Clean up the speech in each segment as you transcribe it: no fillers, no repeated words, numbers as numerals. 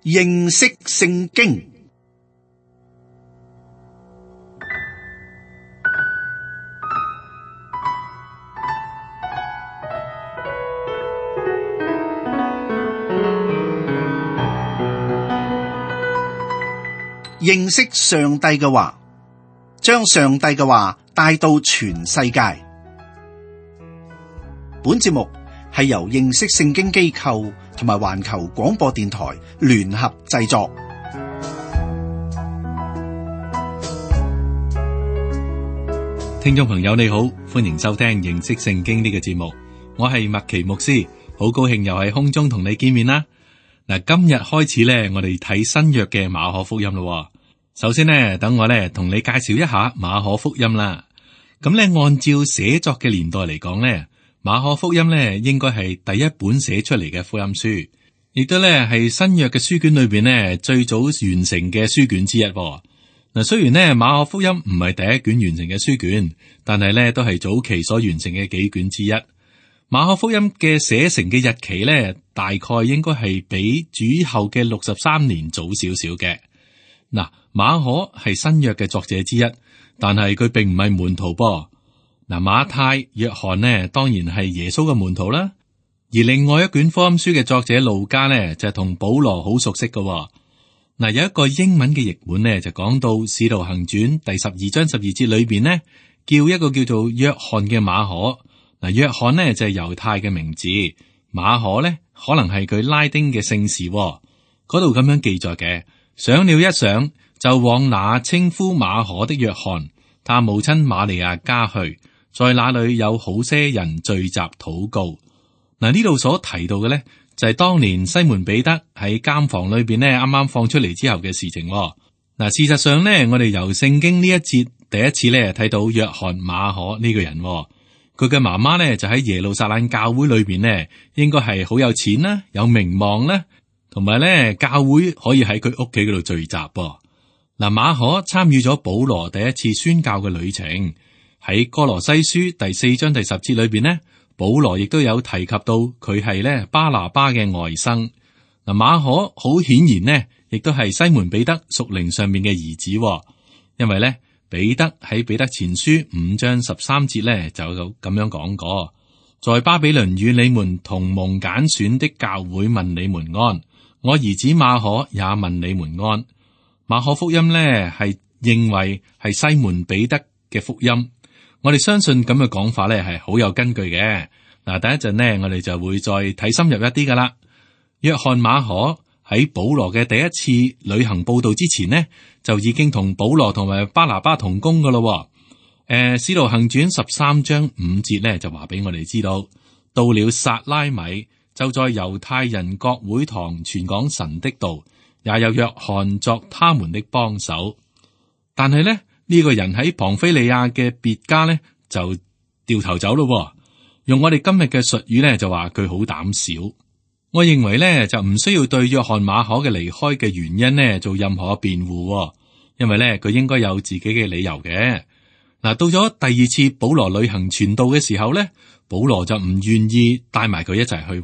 認識聖經。認識上帝嘅話，將上帝嘅話帶到全世界。本節目係由認識聖經機構同埋環球廣播電台聯合製作。聽眾朋友你好，歡迎收聽認識聖經呢個節目，我係麥奇牧師，好高興又喺空中同你見面啦。嗱，今日開始咧，我哋睇新約嘅馬可福音咯。首先呢，等我咧同你介紹一下馬可福音啦。咁咧，按照寫作嘅年代嚟講咧，馬可福音咧應該係第一本寫出嚟嘅福音書，亦都咧係新約嘅書卷裏邊咧最早完成嘅書卷之一。嗱，雖然咧馬可福音唔係第一卷完成嘅書卷，但係咧都係早期所完成嘅幾卷之一。馬可福音嘅寫成嘅日期咧，大概應該係比主後嘅63年早少少嘅。嗱，馬可係新約嘅作者之一，但係佢並唔係門徒噃。嗱，馬太、約翰呢，當然係耶穌嘅門徒啦。而另外一卷福音書嘅作者路加呢，就係同保羅好熟悉嘅。嗱，有一個英文嘅譯本呢，就講到《使徒行傳》第12章12節裏邊呢，叫一個叫做約翰嘅馬可。嗱，約翰呢就係猶太嘅名字，馬可呢可能係佢拉丁嘅姓氏。嗰度咁樣記載嘅，上了一上，就往那稱呼馬可的約翰，他母親瑪利亞家去，在那裏有好些人聚集禱告。嗱，呢度所提到嘅呢，就係當年西門彼得喺監房裏邊呢啱啱放出嚟之後嘅事情。嗱，事實上呢，我哋由聖經呢一節第一次呢睇到約翰馬可呢個人。佢嘅媽媽咧就喺耶路撒冷教會裏邊呢，應該係好有錢啦，有名望啦，同埋咧教會可以喺佢屋企嗰度聚集。嗱，馬可參與咗保羅第一次宣教嘅旅程，喺哥羅西書第4章第10節裏邊呢，保羅亦都有提及到佢係咧巴拿巴嘅外甥。嗱，馬可好顯然呢，亦都係西門彼得屬靈上面嘅兒子，因為咧。彼得喺彼得前書5章13節咧就咁樣講過，在巴比倫與你們同蒙揀選的教會問你們安，我兒子馬可也問你們安。馬可福音咧係認為係西門彼得嘅福音，我哋相信咁嘅講法咧係好有根據嘅。嗱，等一陣呢，我哋就會再睇深入一啲噶啦。約翰馬可喺保羅嘅第一次旅行佈道之前呢，就已經同保羅同埋巴拿巴同工噶咯。使徒行傳13章5節呢，就話俾我哋知道，到了撒拉米，就在猶太人各會堂傳講神的道，也有約翰作他們的幫手。但係呢，呢個人喺龐菲利亞嘅別家呢，就掉頭走咯。用我哋今日嘅術語呢，就話佢好膽小。我認為咧就唔需要對約翰馬可嘅離開嘅原因呢做任何嘅辯護，因為咧佢應該有自己嘅理由嘅。嗱，到咗第二次保羅旅行傳道嘅時候咧，保羅就唔願意帶埋佢一齊去，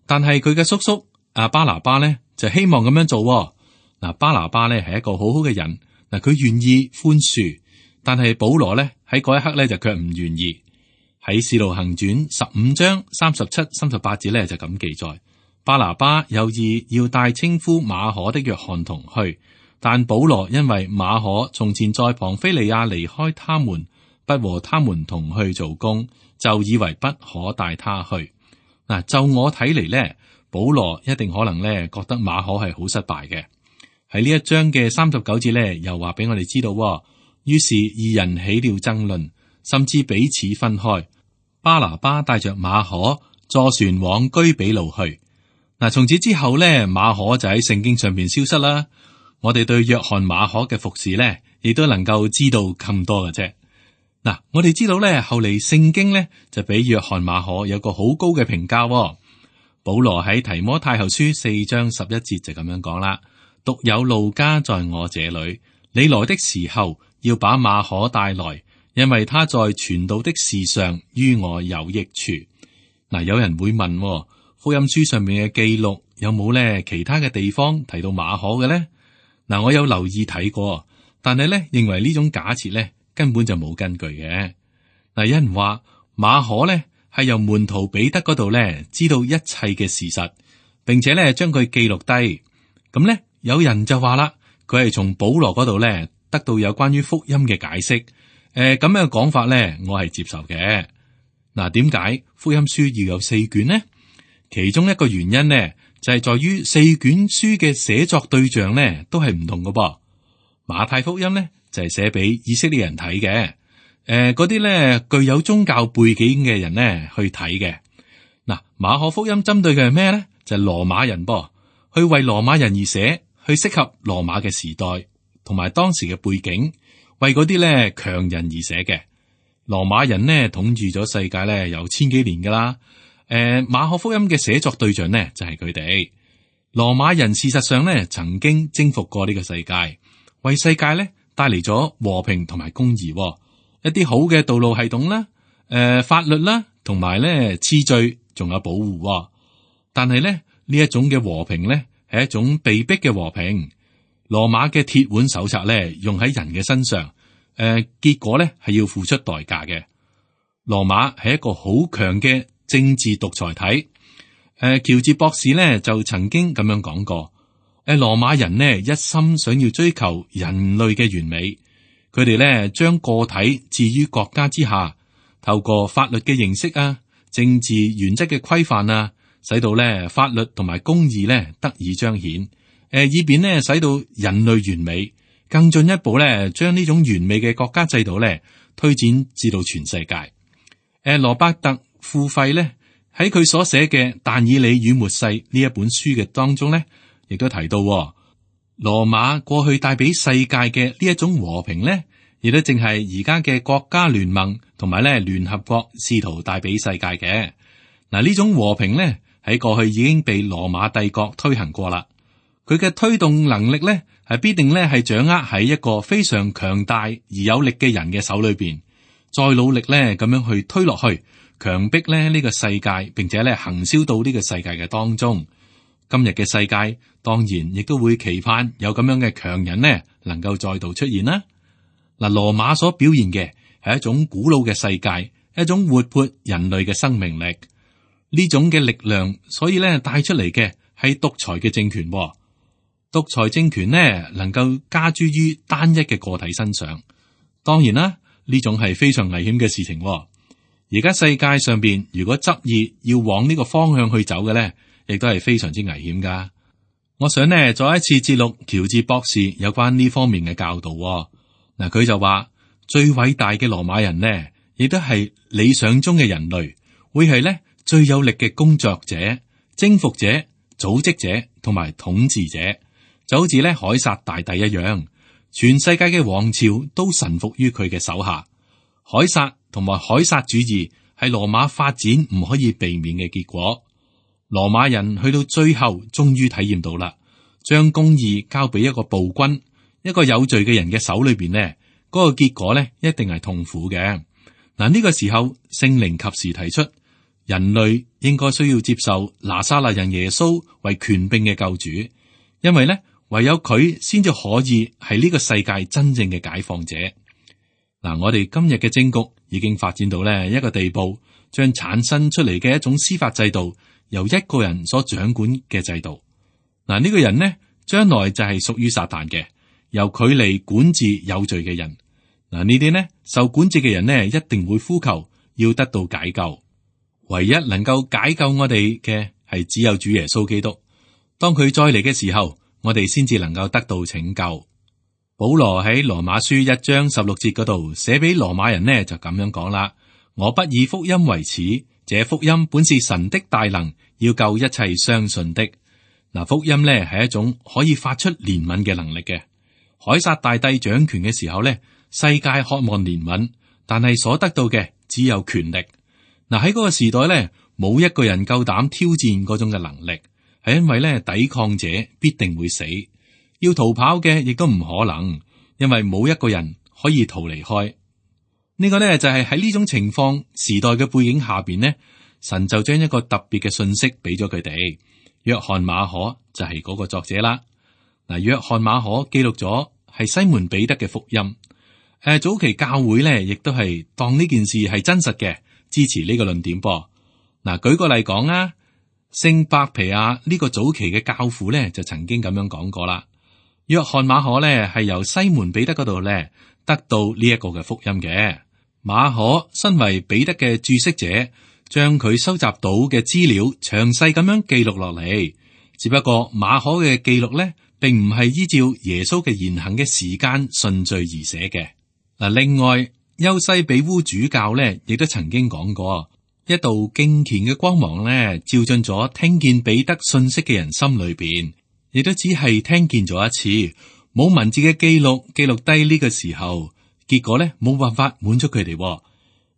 但係佢嘅叔叔巴拿巴咧就希望咁樣做。嗱，巴拿巴咧係一個好好嘅人，嗱，佢願意寬恕，但係保羅咧喺嗰一刻咧就卻唔願意。喺使徒行傳15章37、38節咧就咁記載。巴拿巴有意要帶稱呼馬可的約翰同去，但保羅因為馬可從前在龐菲利亞離開他們，不和他們同去做工，就以為不可帶他去。嗱，就我睇嚟咧，保羅一定可能咧覺得馬可係好失敗嘅。喺呢一章嘅39節咧，又話俾我哋知道，於是二人起了爭論，甚至彼此分開。巴拿巴帶着馬可坐船往居比路去。嗱，從此之後咧，馬可就喺聖經上邊消失啦。我哋對約翰馬可嘅服侍咧，亦都能夠知道咁多嘅啫。嗱，我哋知道咧，後嚟聖經咧就俾約翰馬可有個好高嘅評價。保羅喺提摩太後書4章11節就咁樣講啦：獨有路加在我這裏，你來的時候要把馬可帶來，因為他在傳道的事上於我有益處。嗱，有人會問，福音書上面嘅記錄有冇咧其他嘅地方提到馬可嘅咧？嗱，我有留意睇過，但係咧認為呢種假設咧根本就冇根據嘅。嗱，有人話馬可咧係由門徒彼得嗰度咧知道一切嘅事實，並且咧將佢記錄低。咁咧有人就話啦，佢係從保羅嗰度咧得到有關於福音嘅解釋。咁樣嘅講法咧，我係接受嘅。嗱，點解福音書要有4卷呢？其中一個原因呢，就係在於4卷書嘅寫作對象呢都係唔同嘅噃。馬太福音呢就係寫俾以色列人睇嘅，嗰啲咧具有宗教背景嘅人呢去睇嘅。嗱，馬可福音針對嘅係咩咧？就係羅馬人噃，去為羅馬人而寫，去適合羅馬嘅時代同埋當時嘅背景。為嗰啲咧強人而寫嘅。羅馬人呢統治咗世界咧有千幾年噶啦。馬可福音嘅寫作對象呢就係佢哋。羅馬人事實上呢曾經征服過呢個世界，為世界咧帶嚟咗和平同埋公義，一啲好嘅道路系統啦，法律啦，同埋咧次序，仲有保護。但係咧呢一種嘅和平咧係一種被逼嘅和平。羅馬嘅鐵腕手冊咧，用喺人嘅身上，結果咧係要付出代價嘅。羅馬係一個好強嘅政治獨裁體。喬治博士咧就曾經咁樣講過：羅馬人呢一心想要追求人類嘅完美，佢哋咧將個體置於國家之下，透過法律嘅形式啊、政治原則嘅規範啊，使到咧法律同埋公義咧得以彰顯。以便咧使到人類完美，更進一步咧將呢種完美嘅國家制度咧推展至到全世界。羅伯特富費咧喺佢所寫嘅《但以理與末世》呢一本書嘅當中咧，亦都提到羅馬過去帶俾世界嘅呢一種和平咧，亦都正係而家嘅國家聯盟同埋咧聯合國試圖帶俾世界嘅。嗱，呢種和平咧喺過去已經被羅馬帝國推行過啦。佢嘅推動能力咧，係必定咧係掌握喺一個非常強大而有力嘅人嘅手裏邊，再努力咧咁樣去推落去，強迫咧呢個世界，並且咧行銷到呢個世界嘅當中。今日嘅世界當然亦都會期盼有咁樣嘅強人呢，能夠再度出現啦。嗱，羅馬所表現嘅係一種古老嘅世界，一種活潑人類嘅生命力，呢種嘅力量，所以咧帶出嚟嘅係獨裁嘅政權。獨裁政權呢，能夠加諸於單一嘅個體身上，當然啦，呢種係非常危險嘅事情。而家世界上邊，如果執意要往呢個方向去走嘅咧，亦都係非常之危險噶。我想呢，再一次節錄喬治博士有關呢方面嘅教導。嗱，佢就話最偉大嘅羅馬人呢，亦都係理想中嘅人類，會係咧最有力嘅工作者、征服者、組織者同埋統治者。就好似咧凱撒大帝一樣，全世界嘅王朝都臣服於佢嘅手下。凱撒同埋凱撒主義係羅馬發展唔可以避免嘅結果。羅馬人去到最後終於體驗到啦，將公義交俾一個暴君、一個有罪嘅人嘅手裏邊呢，嗰個結果呢一定係痛苦嘅。嗱，呢個時候聖靈及時提出，人類應該需要接受拿撒勒人耶穌為權柄嘅救主，因為呢。唯有佢先至可以係呢個世界真正嘅解放者。嗱，我哋今日嘅政局已經發展到呢一個地步，將產生出嚟嘅一種司法制度由一個人所掌管嘅制度。嗱，呢個人呢，將來就係屬於撒旦嘅，由佢嚟管治有罪嘅人。嗱，呢啲呢受管治嘅人呢，一定會呼求要得到解救。唯一能夠解救我哋嘅係只有主耶穌基督。當佢再嚟嘅時候，我哋先至能夠得到拯救。保羅喺羅馬書1章16節嗰度寫俾羅馬人呢，就咁樣講啦：我不以福音為恥，這福音本是神的大能，要救一切相信的。嗱，福音呢係一種可以發出憐憫嘅能力嘅。凱撒大帝掌權嘅時候呢，世界渴望憐憫，但係所得到嘅只有權力。嗱，喺嗰個時代呢，冇一個人夠膽挑戰嗰種嘅能力。係因為咧，抵抗者必定會死，要逃跑嘅亦都唔可能，因為冇一個人可以逃離開。呢個咧就係喺呢種情況時代嘅背景下邊呢，神就將一個特別嘅信息俾咗佢哋，約翰馬可就係嗰個作者啦。嗱，約翰馬可記錄咗係西門彼得嘅福音。早期教會咧，亦都係當呢件事係真實嘅，支持呢個論點噃。嗱，舉個例講啊，聖伯皮亞呢個早期嘅教父咧，就曾經咁樣講過啦。約翰馬可咧係由西門彼得嗰度咧得到呢一個嘅福音嘅。馬可身為彼得嘅注釋者，將佢收集到嘅資料詳細咁樣記錄落嚟。只不過馬可嘅記錄咧，並唔係依照耶穌嘅言行嘅時間順序而寫嘅。嗱，另外優西比烏主教咧，亦都曾經講過，一道敬虔嘅光芒咧，照進咗聽見彼得信息嘅人心裏邊，亦都只係聽見咗一次，冇文字嘅記錄低呢個時候，結果咧冇辦法滿足佢哋，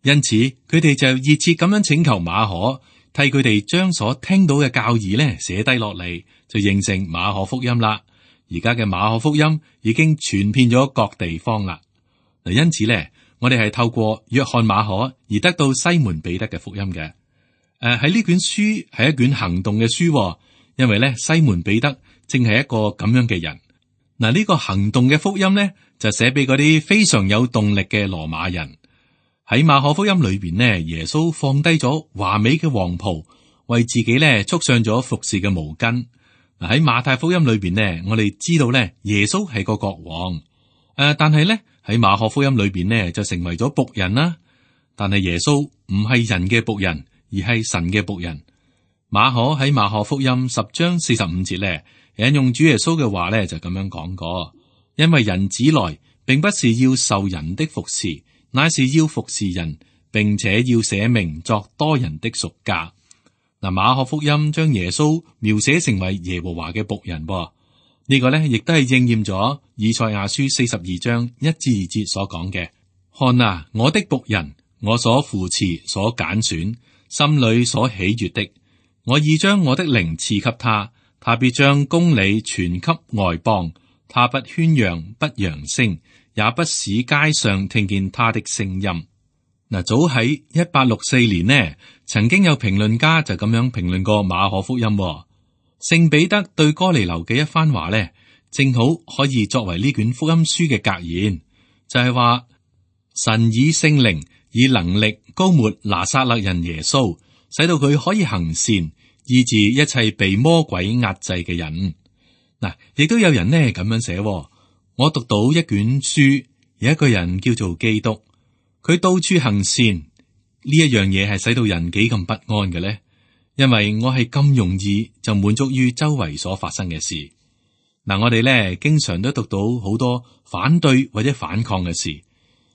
因此佢哋就熱切咁樣請求馬可替佢哋將所聽到嘅教義咧寫低落嚟，就形成馬可福音啦。而家嘅馬可福音已經傳遍咗各地方啦。嗱，因此咧，我哋係透過約翰馬可而得到西門彼得嘅福音嘅。喺呢卷書係一卷行動嘅書，因為咧西門彼得正係一個咁樣嘅人。嗱，呢個行動嘅福音咧就寫俾嗰啲非常有動力嘅羅馬人。喺馬可福音裏邊呢，耶穌放低咗華美嘅黃袍，為自己咧束上咗服侍嘅毛巾。嗱，喺馬太福音裏邊呢，我哋知道咧耶穌係個國王。但係咧喺馬可福音裏邊呢，就成為咗僕人啦。但係耶穌唔係人嘅僕人，而係神嘅僕人。馬可喺馬可福音10章45節咧，引用主耶穌嘅話咧，就咁樣講過：因為人子來，並不是要受人的服侍，乃是要服侍人，並且要捨命作多人的贖價。嗱，馬可福音將耶穌描寫成為耶和華嘅僕人，呢個咧亦都係應驗咗以賽亞書42章1至2節所講嘅：看啊，我的僕人，我所扶持、所揀選，心裏所喜悅的，我已將我的靈賜給他，他必將公理傳給外邦，他不喧嚷，不揚聲，也不使街上聽見他的聲音。嗱，早喺1864年呢，曾經有評論家就咁樣評論過馬可福音。聖彼得對哥尼流嘅一番話呢，正好可以作為呢卷福音書嘅格言，就係話神以聖靈以能力膏抹拿撒勒人耶穌，使到佢可以行善，醫治一切被魔鬼壓制嘅人。嗱，亦都有人呢咁樣寫，我讀到一卷書，有一個人叫做基督，佢到處行善，呢一樣嘢係使到人幾咁不安嘅呢？因為我係咁容易就滿足於周圍所發生嘅事。嗱，我哋咧經常都讀到好多反對或者反抗嘅事，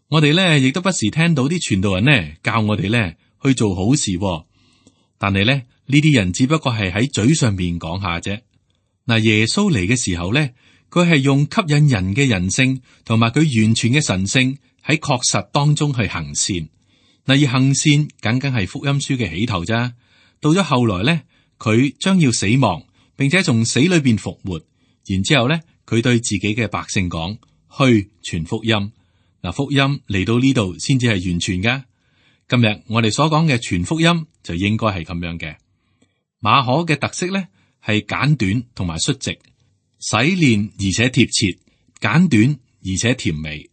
我哋咧亦都不時聽到啲傳道人呢教我哋咧去做好事，但係咧呢啲人只不過係喺嘴上面講下啫。嗱，耶穌嚟嘅時候咧，佢係用吸引人嘅人性同埋佢完全嘅神性喺確實當中去行善。嗱，而行善僅僅係福音書嘅起頭咋。到咗後來咧，佢將要死亡，並且從死裏邊復活。然之後咧，佢對自己嘅百姓講：去傳福音。嗱，福音嚟到呢度先至係完全噶。今日我哋所講嘅傳福音就應該係咁樣嘅。馬可嘅特色咧係簡短同埋率直，洗練而且貼切，簡短而且甜美。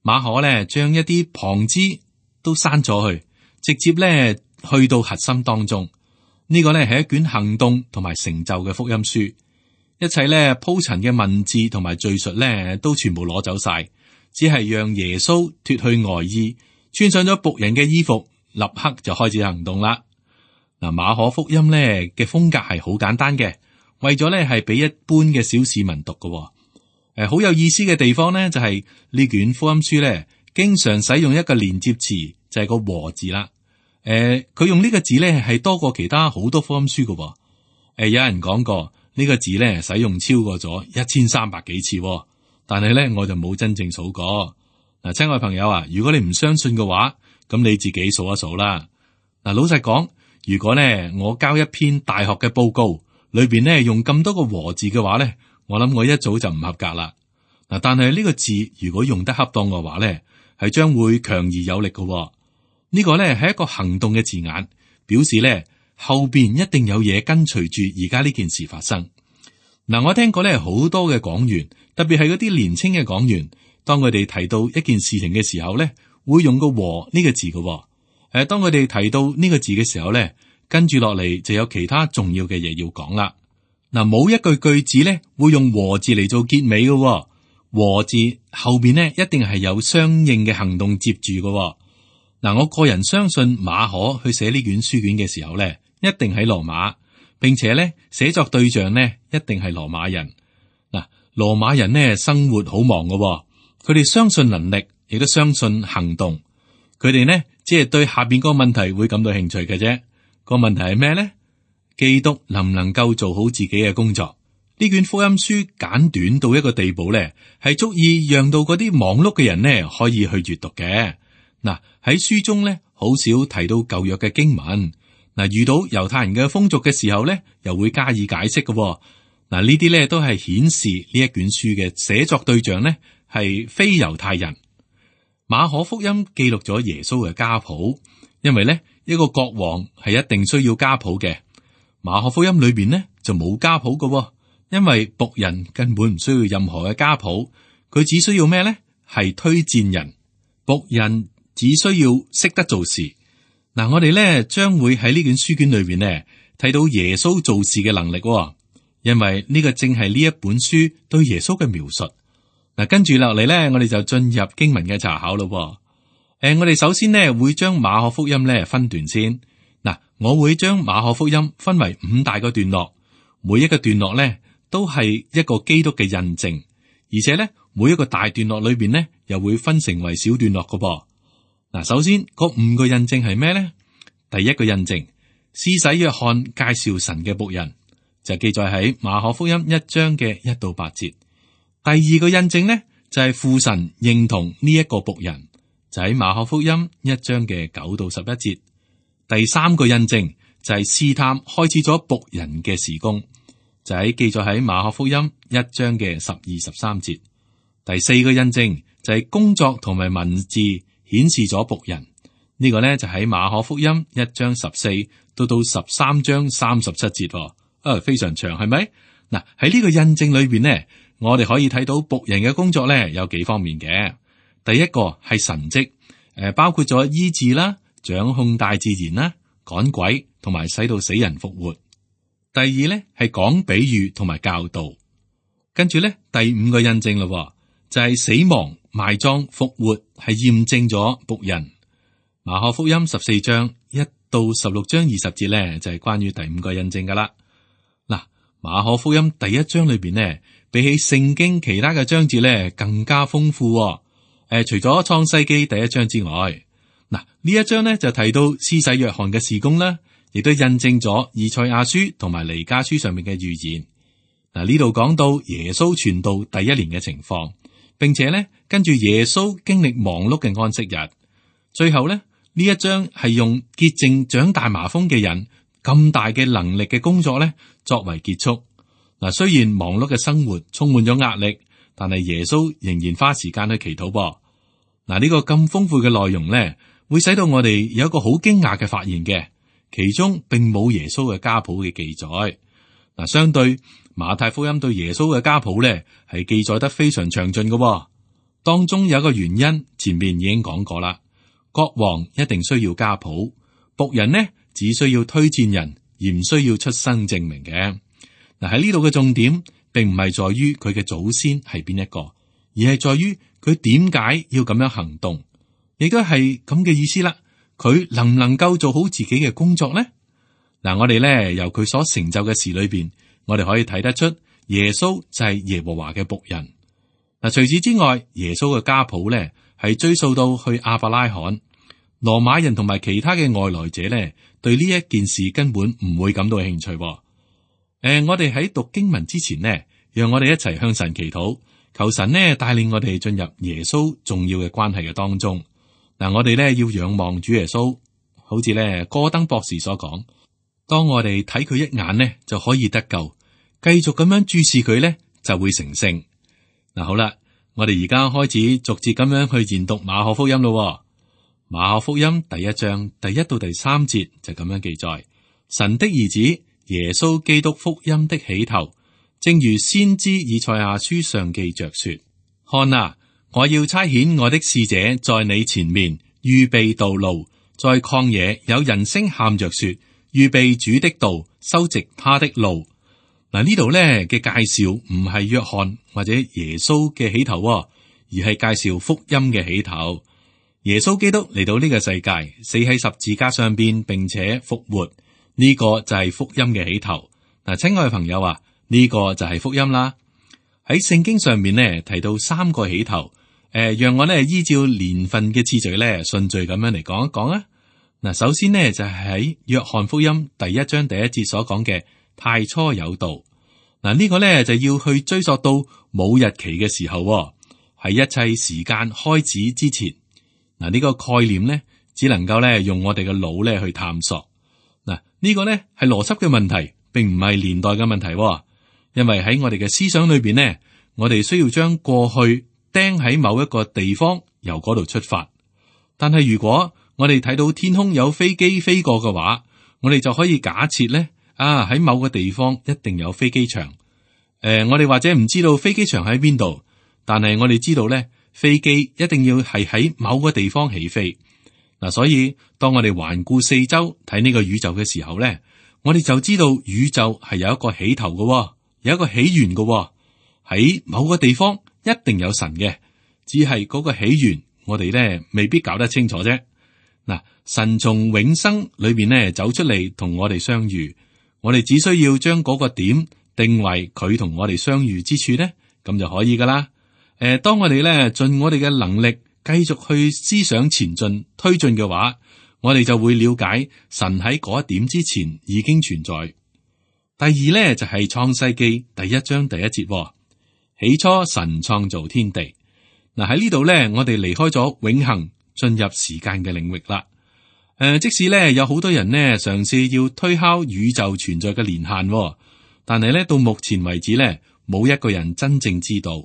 馬可咧將一啲旁枝都刪咗去，直接咧去到核心當中。呢個咧係一卷行動同埋成就嘅福音書，一切咧鋪陳嘅文字同埋敘述咧都全部攞走晒，只係讓耶穌脫去外衣，穿上咗僕人嘅衣服，立刻就開始行動啦。嗱，馬可福音咧嘅風格係好簡單嘅，為咗咧係俾一般嘅小市民讀嘅。好有意思嘅地方咧就係呢卷福音書咧經常使用一個連接詞，就係個和字啦。佢用呢個字咧係多過其他好多福音書嘅。有人講過呢個字咧使用超過咗1300幾次，但係咧我就冇真正數過。嗱，親愛朋友啊，如果你唔相信嘅話，咁你自己數一數啦。嗱，老實講，如果咧我交一篇大學嘅報告，裏邊咧用咁多個和字嘅話咧，我諗我一早就唔合格啦。嗱，但係呢個字如果用得恰當嘅話咧，係將會強而有力嘅。呢個咧係一個行動嘅字眼，表示咧後邊一定有嘢跟隨住而家呢件事發生。嗱，我聽過咧好多嘅講員，特別係嗰啲年輕嘅講員，當佢哋提到一件事情嘅時候咧，會用個和呢個字嘅。當佢哋提到呢個字嘅時候咧，跟住落嚟就有其他重要嘅嘢要講啦。嗱，冇一句句子咧會用和字嚟做結尾嘅。和字後邊呢一定係有相應嘅行動接住嘅。嗱，我個人相信馬可去寫呢卷書卷嘅時候咧，一定喺羅馬，並且咧寫作對象呢一定係羅馬人。嗱，羅馬人呢生活好忙嘅，佢哋相信能力，亦都相信行動。佢哋呢只係對下邊個問題會感到興趣嘅啫。個問題係咩呢？基督能唔能夠做好自己嘅工作？呢卷福音書簡短到一個地步咧，係足以讓到嗰啲忙碌嘅人呢可以去閱讀嘅。嗱，喺書中咧好少提到舊約嘅經文。嗱，遇到猶太人嘅風俗嘅時候咧，又會加以解釋嘅。嗱，呢啲咧都係顯示呢一卷書嘅寫作對象呢係非猶太人。馬可福音記錄咗耶穌嘅家譜，因為咧一個國王係一定需要家譜嘅。馬可福音裏邊呢就冇家譜嘅。因為僕人根本唔需要任何嘅家譜，佢只需要咩呢？係推薦人。僕人只需要識得做事。嗱，我哋咧將會喺呢卷書卷裏邊呢睇到耶穌做事嘅能力，因為呢個正係呢一本書對耶穌嘅描述。嗱，跟住落嚟咧，我哋就進入經文嘅查考咯。我哋首先呢會將馬可福音咧分段先。嗱，我會將馬可福音分為5大個段落，每一個段落咧都係一個基督嘅印證，而且咧每一個大段落裏邊呢，又會分成為小段落嘅噃。嗱，首先嗰5個印證係咩咧？第一個印證，施洗約翰介紹神嘅僕人，就記載喺馬可福音1章嘅1到8節。第二個印證呢，就係父神認同呢一個僕人，就喺馬可福音1章嘅9到11節。第三個印證就係試探開始咗僕人嘅事工。就喺記載喺馬可福音1章嘅12、13節。第四個印證就係工作同埋文字顯示咗僕人，呢個呢就喺馬可福音1章14到13章37節。非常長，係咪？嗱，喺呢個印證裏邊呢，我哋可以睇到僕人嘅工作呢有幾方面嘅。第一個係神蹟，包括咗醫治啦、掌控大自然啦、趕鬼同埋使到死人復活。第二咧係講比喻同埋教導，跟住咧第5個印證咯，就係死亡、埋葬、復活係驗證咗僕人。馬可福音14章1到16章20節咧就係關於第5個印證噶啦。嗱，馬可福音第1章裏邊呢，比起聖經其他嘅章節咧更加豐富。除咗創世記第1章之外，嗱呢一章咧就提到施洗約翰嘅事工啦。亦都印證咗以賽亞書同埋彌迦書上面嘅預言。嗱，呢度講到耶穌傳道第1年嘅情況，並且咧跟住耶穌經歷忙碌嘅安息日。最後咧呢一章係用潔淨長大麻風嘅人咁大嘅能力嘅工作咧作為結束。嗱，雖然忙碌嘅生活充滿咗壓力，但係耶穌仍然花時間去祈禱噃。嗱，呢個咁豐富嘅內容咧，會使到我哋有一個好驚訝嘅發現嘅。其中並冇耶穌嘅家譜嘅記載。嗱，相對馬太福音對耶穌嘅家譜咧，係記載得非常詳盡嘅。當中有一個原因，前面已經講過啦。國王一定需要家譜，僕人呢只需要推薦人，而唔需要出生證明嘅。嗱，喺呢度嘅重點，並唔係在於佢嘅祖先係邊一個，而係在於佢點解要咁樣行動，亦都係咁嘅意思啦。佢能唔能夠做好自己嘅工作呢？嗱，我哋咧由佢所成就嘅事裏邊，我哋可以睇得出耶穌就係耶和華嘅僕人。嗱，除此之外，耶穌嘅家譜咧係追溯到去亞伯拉罕。羅馬人同埋其他嘅外來者咧，對呢一件事根本唔會感到興趣。我哋喺讀經文之前呢，讓我哋一齊向神祈禱，求神呢帶領我哋進入耶穌重要嘅關係嘅當中。嗱，我哋咧要仰望主耶穌，好似咧戈登博士所講，當我哋睇佢一眼呢，就可以得救，繼續咁樣注視佢咧，就會成聖。嗱，好啦，我哋而家開始逐節咁樣去研讀馬可福音咯。馬可福音第1章第1到第3節就咁樣記載：神的兒子耶穌基督福音的起頭，正如先知以賽亞書上記着說：看啊，我要差遣我的使者在你前面預備道路，在曠野有人聲喊着說：預備主的道，修直他的路。嗱，呢度咧嘅介紹唔係約翰或者耶穌嘅起頭，而係介紹福音嘅起頭。耶穌基督嚟到呢個世界，死喺十字架上邊，並且復活，呢個就係福音嘅起頭。嗱，親愛嘅朋友啊，呢個就係福音啦。喺聖經上面呢，提到三個起頭，讓我呢依照年份嘅次序呢順序咁樣嚟講一講啊。嗱，首先呢就係喺約翰福音第1章第1節所講嘅太初有道。嗱，呢個呢就要去追溯到冇日期嘅時候，喺一切時間開始之前。嗱，呢個概念呢只能夠呢用我哋嘅腦呢去探索。嗱，呢個呢係邏輯嘅問題，並唔係年代嘅問題。因為喺我哋嘅思想裏邊呢，我哋需要將過去釘喺某一個地方，由嗰度出發。但係如果我哋睇到天空有飛機飛過嘅話，我哋就可以假設呢，喺某個地方一定有飛機場。我哋或者唔知道飛機場喺邊度，但係我哋知道呢，飛機一定要係喺某個地方起飛。嗱，所以當我哋環顧四周睇呢個宇宙嘅時候呢，我哋就知道宇宙係有一個起頭嘅，有一個起源嘅。喺某個地方一定有神嘅，只係嗰個起源我哋呢未必搞得清楚啫。嗱，神從永生裏邊呢走出嚟同我哋相遇，我哋只需要將嗰個點定為佢同我哋相遇之處呢，咁就可以噶啦。當我哋呢盡我哋嘅能力繼續去思想前進推進嘅話，我哋就會了解神喺嗰一點之前已經存在。第二呢，就係創世記第1章第1節，起初神創造天地。嗱，喺呢度呢，我哋離開咗永恆，進入時間嘅領域啦。即使呢有好多人呢嘗試要推敲宇宙存在嘅年限，但係呢到目前為止呢，冇一個人真正知道。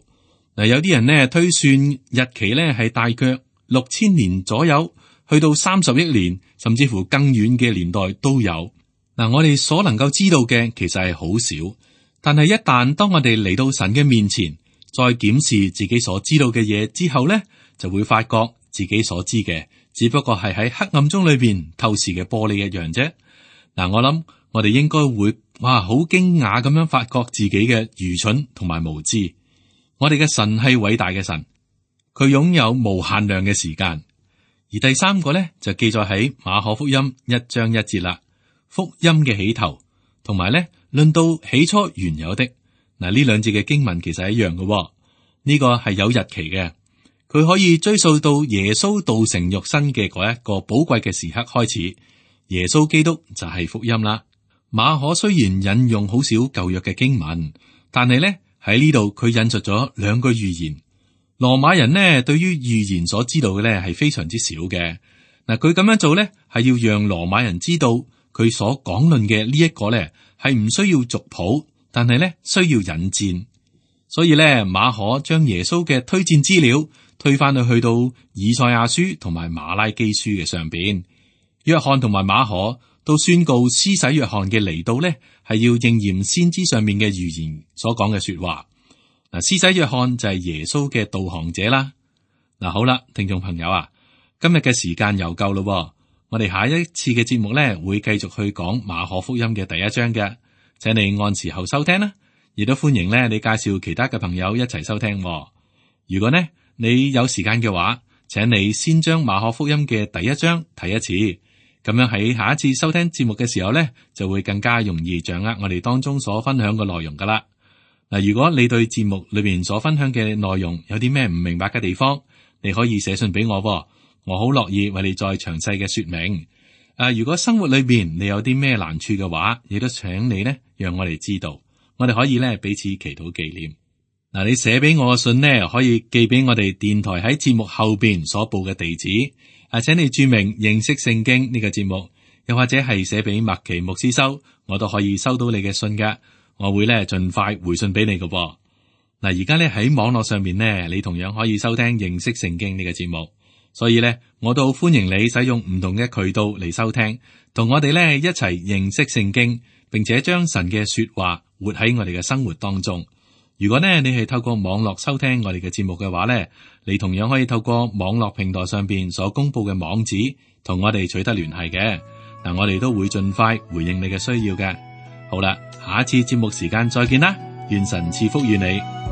嗱，有啲人呢推算日期呢係大約6000年左右，去到30億年，甚至乎更遠嘅年代都有。嗱，我哋所能夠知道嘅其實係好少，但係一旦當我哋嚟到神嘅面前，再檢視自己所知道嘅嘢之後呢，就會發覺自己所知嘅只不過係喺黑暗中裏邊透視嘅玻璃一樣啫。嗱，我諗我哋應該會好驚訝咁樣發覺自己嘅愚蠢同埋無知。我哋嘅神係偉大嘅神，佢擁有無限量嘅時間。而第三個呢，就記載喺馬可福音1章1節啦，福音嘅起頭，同埋呢論到起初原有的。嗱，呢兩節嘅經文其實係一樣嘅，呢個係有日期嘅，佢可以追溯到耶穌道成肉身嘅嗰一個寶貴嘅時刻開始。耶穌基督就係福音啦。馬可雖然引用好少舊約嘅經文，但係呢喺呢度佢引述咗2個預言。羅馬人呢對於預言所知道嘅呢係非常之少嘅。嗱，佢咁樣做呢係要讓羅馬人知道佢所講論嘅呢一個呢係唔需要族譜，但係呢需要引薦。所以呢，馬可將耶穌嘅推薦資料推返去到以賽亞書同埋馬拉基書嘅上邊。約翰同埋馬可都宣告施洗約翰嘅嚟到呢係要應驗先知上面嘅預言所講嘅說話。嗱，施洗約翰就係耶穌嘅導航者啦。嗱，好啦，聽眾朋友啊，今日嘅時間又夠咯，我哋下一次嘅節目呢會繼續去講馬可福音嘅第1章嘅，請你按時候收聽啦，亦都歡迎呢你介紹其他嘅朋友一齊收聽。如果呢你有時間嘅話，請你先將馬可福音嘅第1章睇一次，咁樣喺下一次收聽節目嘅時候呢，就會更加容易掌握我哋當中所分享嘅內容噶啦。嗱，如果你對節目裏邊所分享嘅內容有啲咩唔明白嘅地方，你可以寫信俾我，我好樂意為你再詳細嘅說明。如果生活裏邊你有啲咩難處嘅話，亦都請你呢讓我哋知道，我哋可以呢彼此祈禱紀念。嗱，你寫俾我嘅信呢，可以寄俾我哋電台喺節目後邊所報嘅地址。請你注明認識聖經呢個節目，又或者係寫俾麥奇牧師收，我都可以收到你嘅信㗎。我會咧盡快回信俾你嘅。嗱，而家咧喺網絡上面呢，你同樣可以收聽認識聖經呢個節目。所以咧，我都好歡迎你使用唔同嘅渠道嚟收聽，同我哋咧一齊認識聖經，並且將神嘅說話活喺我哋嘅生活當中。如果呢，你係透過網絡收聽我哋嘅節目嘅話呢，你同樣可以透過網絡平台上邊所公布嘅網址同我哋取得聯繫嘅。嗱，我哋都會盡快回應你嘅需要嘅。好啦，下一次節目時間再見啦，願神賜福於你。